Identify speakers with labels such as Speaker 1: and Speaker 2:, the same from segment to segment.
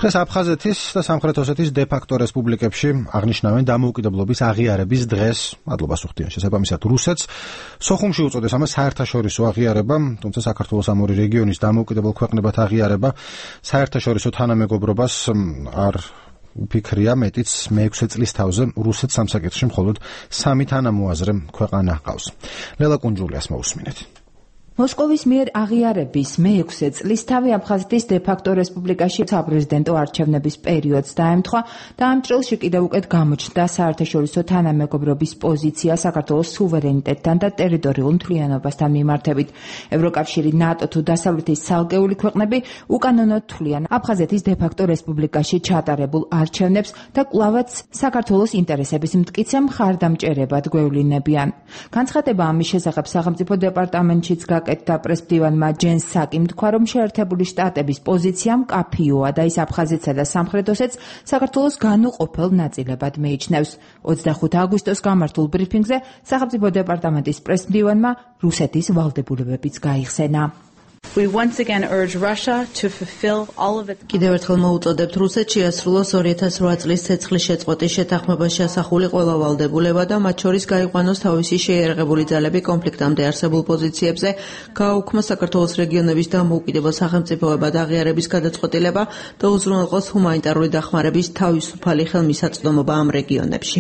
Speaker 1: დღეს აფხაზეთის და სამხრეთ ოსეთის დე-ფაქტო რესპუბლიკებში აღნიშნავენ დამოუკიდებლობის აღიარების დღეს. მადლობას უხდიან შესაბამისად რუსეთს. სოხუმში უწოდეს ამას საერთაშორისო აღიარება, თუმცა საქართველოს ამ ორი რეგიონის დამოუკიდებელ ქვეყნებად აღიარება საერთაშორისო თანამეგობრობას არ უფიქრია, მეტიც მე-6 წლის თავზე რუსეთს ამ საკითხში მხოლოდ 3 თანამოაზრე ქვეყანა ჰყავს. ლელა კუნჯულიას მოусმინეთ.
Speaker 2: მოსკოვის მიერ აღიარების მე-6 წლისთავი აფხაზეთის დე-ფაქტო რესპუბლიკაში საპრეზიდენტო არჩევნების პერიოდს დაემთხვა და ამ წელში კიდევ უკეთ გამოჩნდა საერთაშორისო თანამეგობრობის პოზიცია საქართველოს სუვერენიტეტთან და ტერიტორიულ მთლიანობასთან მიმართებით. ევროკავშირი, ნატო თუ დასავლეთის ცალკეული ქვეყნები უკანონოდ თვლიან აფხაზეთის დე-ფაქტო რესპუბლიკაში ჩატარებულ არჩევნებს და კვლავაც საქართველოს ინტერესების მტკიცე მხარდამჭერებად გვევლინებიან. განცხადება ამის შესახებ სახელმწიფო დეპარტამენტშიც და პრესმდივანმა ჯენ საკიმ თქვა, რომ შეერთებული შტატების პოზიცია მკაფიოა და ის აფხაზეთსა და სამხრეთ ოსეთს საქართველოს განუყოფელ ნაწილებად მიიჩნევს. 25 აგვისტოს გამართულ ბრიფინგზე სახელმწიფო დეპარტამენტის პრესმდივანმა რუსეთის ვალდებულებებიც გაიხსენა.
Speaker 3: კიდევ ერთხელ მოუწოდებთ რუსეთს შეასრულოს 2008 წლის ცეცხლის შეწყვეტის შეთანხმებაში ასახული ყველა ვალდებულება და მათ შორის გაიყვანოს თავისი შეიარაღებული ძალები კონფლიქტამდე არსებულ პოზიციებზე, გააუქმა საქართველოს რეგიონების დამოუკიდებელ სახელმწიფოებად აღიარების გადაწყვეტილება და უზრუნველყოს ჰუმანიტარული დახმარების თავისუფალი ხელმისაწვდომობა ამ რეგიონებში.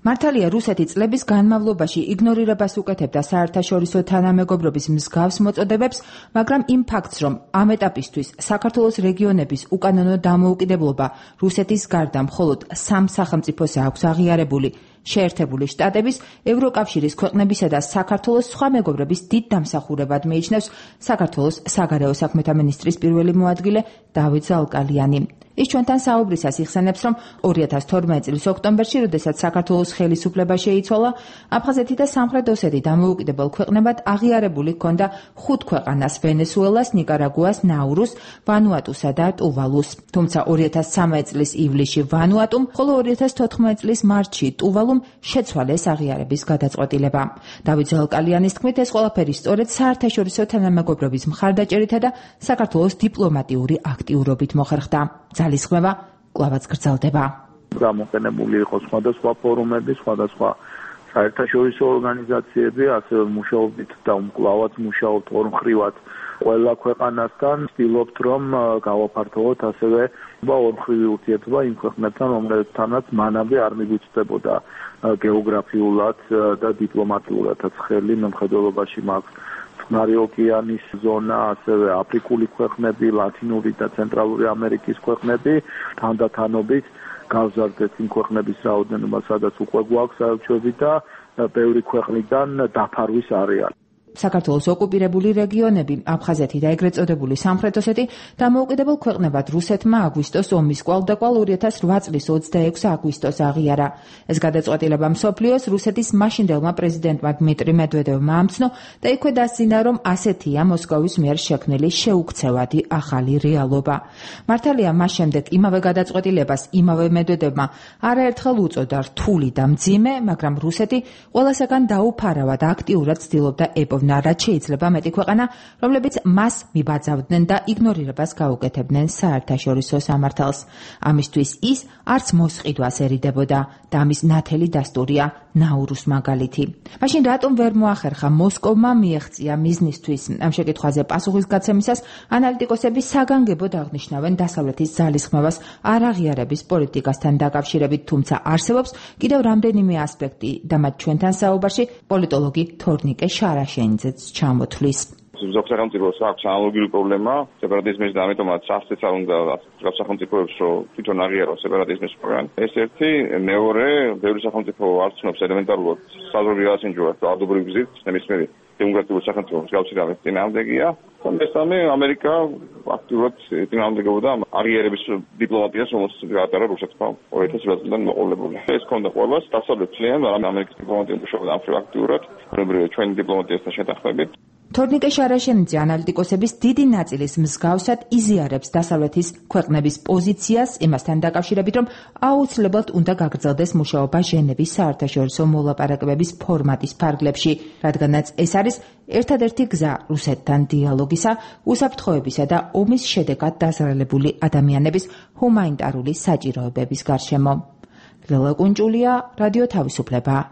Speaker 2: მართალია რუსეთი წლების განმავლობაში იგნორირებას უკეთებდა საერთაშორისო თანამეგობრობის მსგავს მოწოდებებს, მაგრამ იმ ფაქტს, რომ ამ ეტაპისთვის საქართველოს რეგიონების უკანონო დამოუკიდებლობა რუსეთის გარდა მხოლოდ 3 სახელმწიფოს აქვს აღიარებული, შეერთებული შტატების, ევროკავშირის ქვეყნებისა და საქართველოს სხვა მეგობრების დიდ დამსახურებად მიიჩნევს საქართველოს საგარეო საქმეთა მინისტრის პირველი მოადგილე დავით ზალკალიანი. ის ჩვენთან საუბრისას იხსენებს, რომ 2012 წლის ოქტომბერში, როდესაც საქართველოს ხელისუფლება შეიცვალა, აფხაზეთი და სამხრეთ ოსეთი დამოუკიდებელ ქვეყნებად აღიარებული ჰქონდა 5 ქვეყანას: ვენესუელას, ნიკარაგუას, ნაურუს, ვანუატუსა და ტუვალუს. თუმცა 2013 წლის ივლისში ვანუატუმ, ხოლო 2014 წლის მარტში ტუვალუმ შეცვალეს აღიარების გადაწყვეტილება. დავით ზალკალიანის თქმით, ეს ყველაფერი სწორედ საერთაშორისო თანამეგობრობის მხარდაჭერითა და საქართველოს დიპლომატიური აქტიურობით მოხერხდა. ძალისხმევა კვლავაც გრძელდება.
Speaker 4: გამოყენებული იყო სხვადასხვა ფორუმები, სხვადასხვა საერთაშორისო ორგანიზაციები, ასევე მუშაობით და კვლავაც მუშაობთ ორმხრივად ყველა ქვეყანასთან, ვცდილობთ რომ გავაფართოვოთ ასევე ორმხრივი ურთიერთობა იმ ქვეყნებთან, რომლებთანაც მანამდე არ მიგვიწვდებოდა გეოგრაფიულად და დიპლომატიურადაც ხელი. მემხედველობაში მაქვს წყნარი ოკეანის ზონა, ასევე აფრიკული ქვეყნები, ლათინური და ცენტრალური ამერიკის ქვეყნები, თანდათანობით გავზარდეთ იმ ქვეყნების რაოდენობა, სადაც უკვე გვაქვს საელჩოები და ბევრი ქვეყნიდან დაფარვის არეალი.
Speaker 2: საქართველოს ოკუპირებული რეგიონები, აფხაზეთი და ეგრეთ წოდებული სამხრეთ ოსეთი დამოუკიდებელ ქვეყნებად რუსეთმა აგვისტოს ომის კვალდაკვალ 2008 წლის 26 აგვისტოს აღიარა. ეს გადაწყვეტილება მსოფლიოს რუსეთის მაშინდელმა პრეზიდენტმა დმიტრი მედვედევმა ამცნო და იქვე დასძინა, რომ ასეთია მოსკოვის მიერ შექმნილი შეუქცევადი ახალი რეალობა. მართალია მას შემდეგ იმავე გადაწყვეტილებას იმავე მედვედევმა არაერთხელ უწოდა რთული და მძიმე, მაგრამ რუსეთი ყველასაგან დაუფარავად აქტიურად ცდილობდა რაც შეიძლება მეტი ქვეყანა, რომლებიც მას მიბაძავდნენ და იგნორირებას გაუკეთებდნენ საერთაშორისო სამართალს. ამისთვის ის არც მოსყიდვას ერიდებოდა და ამის ნათელი დასტურია ნაურუს მაგალითი. მაშინ რატომ ვერ მოახერხა მოსკოვმა მიეღწია მიზნისთვის? ამ შეკითხვაზე პასუხისგაცემისას ანალიტიკოსები საგანგებოდ აღნიშნავენ დასავლეთის ძალისხმევას არაღიარების პოლიტიკასთან დაკავშირებით, თუმცა არსებობს კიდევ რამდენიმე ასპექტი და მათ ჩვენთან საუბარში პოლიტოლოგი თორნიკე შარაშენიძეც ჩამოთვლის.
Speaker 5: ზოგ სახელმწიფოს აქვს ანალოგიური პრობლემა სეპარატიზმის და ამიტომაც სასწრაფოდ არ უნდა სახელმწიფოებს რომ თვითონ აღიაროს სეპარატიზმის პროგრამა. ეს ერთი, მეორე, ბევრი სახელმწიფო არ ცნობს ელემენტარულად საზღვრები ასინჯურათ ადობრივ გზით, ნებისმიერი დემოკრატიული სახელმწიფოს გავცი და წინააღმდეგია. მესამე, ამერიკა აქტიურად წინააღმდეგობდა აღიარების დიპლომატიას, რომელსაც გაატარა რუსეთმა 2020 წლიდან მოყოლებული. ეს ქონდა ყველას დასავლეთ მთლიან ამერიკის დიპლომატია მუშაობდა აქტიურად, ჩვენი დიპლომატიასთან შეთანხმებით.
Speaker 2: თორნიკე შარაშენიძე ანალიტიკოსების დიდი ნაწილის მსგავსად იზიარებს დასავლეთის ქვეყნების პოზიციას იმასთან დაკავშირებით, რომ აუცილებლად უნდა გაგრძელდეს მუშაობა ჟენევის საერთაშორისო მოლაპარაკებების ფორმატის ფარგლებში, რადგანაც ეს არის ერთადერთი გზა რუსეთთან დიალოგისა, უსაფრთხოებისა და ომის შედეგად დაზარალებული ადამიანების ჰუმანიტარული საჭიროებების გარშემო. ლელა კუნჭულია, რადიო თავისუფლება.